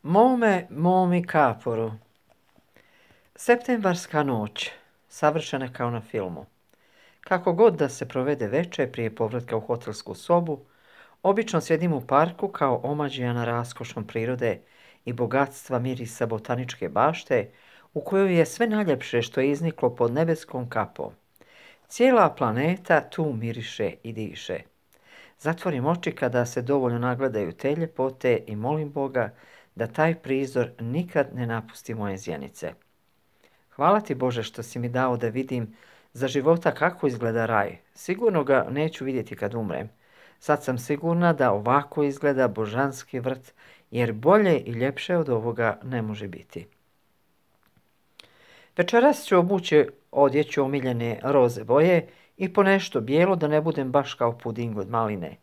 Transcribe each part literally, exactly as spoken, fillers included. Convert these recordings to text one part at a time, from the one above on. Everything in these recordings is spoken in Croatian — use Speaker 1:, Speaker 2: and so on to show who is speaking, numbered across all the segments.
Speaker 1: Mome, momi kaporu. Septembarska noć, savršena kao na filmu. Kako god da se provede večer prije povratka u hotelsku sobu, obično sjedim u parku kao omađijana raskošom prirode i bogatstva mirisa botaničke bašte, u kojoj je sve najljepše što je izniklo pod nebeskom kapom. Cijela planeta tu miriše i diše. Zatvorim oči kada se dovoljno nagledaju te ljepote i molim Boga da taj prizor nikad ne napusti moje zjenice. Hvala ti, Bože, što si mi dao da vidim za života kako izgleda raj. Sigurno ga neću vidjeti kad umrem. Sad sam sigurna da ovako izgleda božanski vrt, jer bolje i ljepše od ovoga ne može biti. Večeras ću obući odjeću omiljene roze boje i po nešto bijelo da ne budem baš kao puding od maline.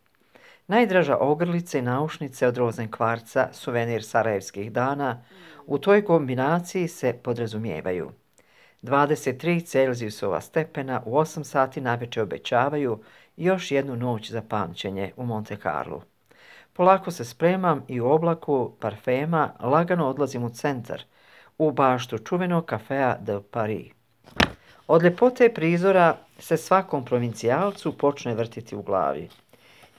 Speaker 1: Najdraža ogrlica i naušnice od rozen kvarca, suvenir sarajevskih dana, u toj kombinaciji se podrazumijevaju. dvadeset tri Celzijusova stepena u osam sati navečer obećavaju još jednu noć za pamćenje u Monte Carlu. Polako se spremam i u oblaku parfema lagano odlazim u centar, u baštu čuvenog kafea de Paris. Od ljepote prizora se svakom provincijalcu počne vrtiti u glavi.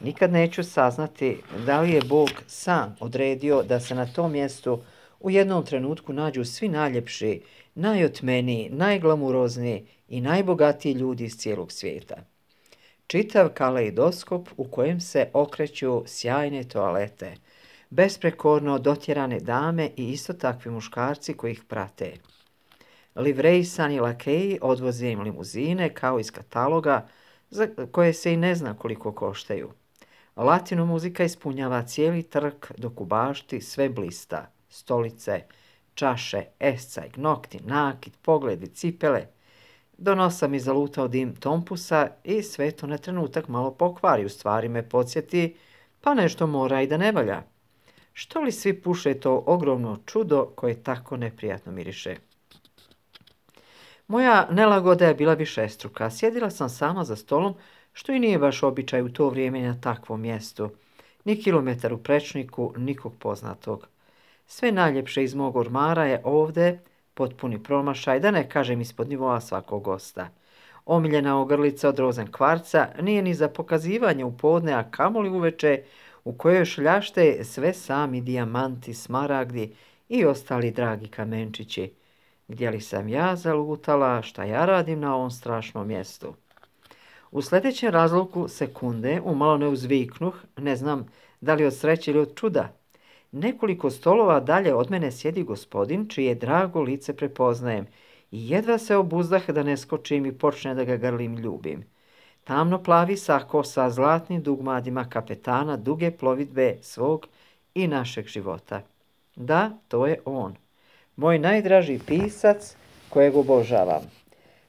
Speaker 1: Nikad neću saznati da li je Bog sam odredio da se na tom mjestu u jednom trenutku nađu svi najljepši, najotmeniji, najglamurozniji i najbogatiji ljudi iz cijelog svijeta. Čitav kaleidoskop u kojem se okreću sjajne toalete, besprekorno dotjerane dame i isto takvi muškarci koji ih prate. Livrejsani lakeji odvoze im limuzine kao iz kataloga za koje se i ne zna koliko koštaju. Latino muzika ispunjava cijeli trg dok u bašti sve blista. Stolice, čaše, escajk, nokti, nakit, pogledi, cipele. Do nosa mi zalutao dim tompusa i sve to na trenutak malo pokvari, u stvari me podsjeti, pa nešto mora i da ne valja. Što li svi puše to ogromno čudo koje tako neprijatno miriše? Moja nelagoda je bila višestruka. Sjedila sam sama za stolom, što i nije baš običaj u to vrijeme na takvom mjestu. Ni kilometar u prečniku, nikog poznatog. Sve najljepše iz mog ormara je ovdje, potpuni promašaj, da ne kažem ispod nivoa svakog gosta. Omiljena ogrlica od rozen kvarca nije ni za pokazivanje u podne, a kamoli uveče, u kojoj šljašte sve sami dijamanti, smaragdi i ostali dragi kamenčići. Gdje li sam ja zalutala, šta ja radim na ovom strašnom mjestu? U sljedećem razluku sekunde umalo ne uzviknuh, ne znam da li od sreće ili od čuda. Nekoliko stolova dalje od mene sjedi gospodin, čije drago lice prepoznajem i jedva se obuzdah da ne skočim i počne da ga grlim ljubim. Tamno plavi sako sa zlatnim dugmadima kapetana duge plovidbe svog i našeg života. Da, to je on. Moj najdraži pisac kojeg obožavam.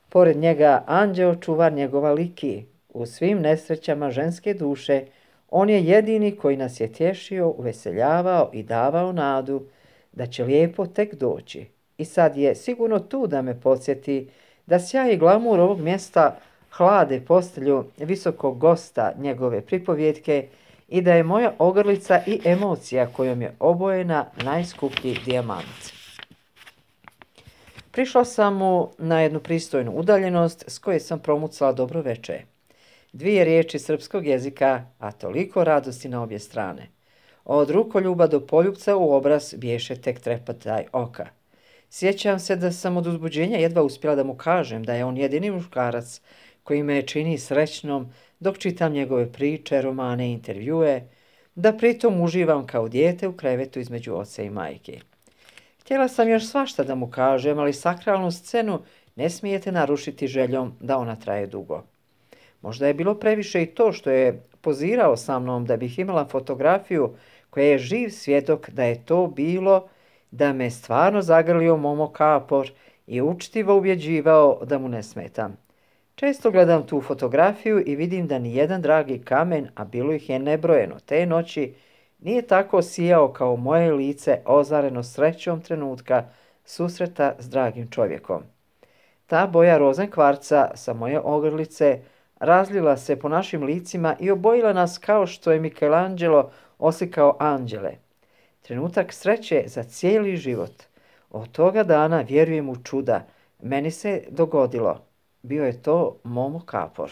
Speaker 1: Pored njega anđeo čuvar njegova liki. U svim nesrećama ženske duše on je jedini koji nas je tješio, uveseljavao i davao nadu da će lijepo tek doći. I sad je sigurno tu da me podsjeti da sjaj i glamur ovog mjesta hlade postelju visokog gosta njegove pripovjetke i da je moja ogrlica i emocija kojom je obojena najskuplji dijamant. Prišla sam mu na jednu pristojnu udaljenost s koje sam promucala dobro veče. Dvije riječi srpskog jezika, a toliko radosti na obje strane. Od rukoljuba do poljupca u obraz biješe tek trepataj oka. Sjećam se da sam od uzbuđenja jedva uspjela da mu kažem da je on jedini muškarac koji me čini srećnom dok čitam njegove priče, romane i intervjue, da pritom uživam kao dijete u krevetu između oca i majke. Htjela sam još svašta da mu kažem, ali sakralnu scenu ne smijete narušiti željom da ona traje dugo. Možda je bilo previše i to što je pozirao sa mnom da bih imala fotografiju koja je živ svjedok da je to bilo, da me stvarno zagrlio Momo Kapor i učtivo ubjeđivao da mu ne smetam. Često gledam tu fotografiju i vidim da ni jedan dragi kamen, a bilo ih je nebrojeno te noći, nije tako sijao kao moje lice ozareno srećom trenutka susreta s dragim čovjekom. Ta boja rozen kvarca sa moje ogrlice razlila se po našim licima i obojila nas kao što je Michelangelo oslikao anđele. Trenutak sreće za cijeli život. Od toga dana vjerujem u čuda. Meni se dogodilo. Bio je to Momo Kapor.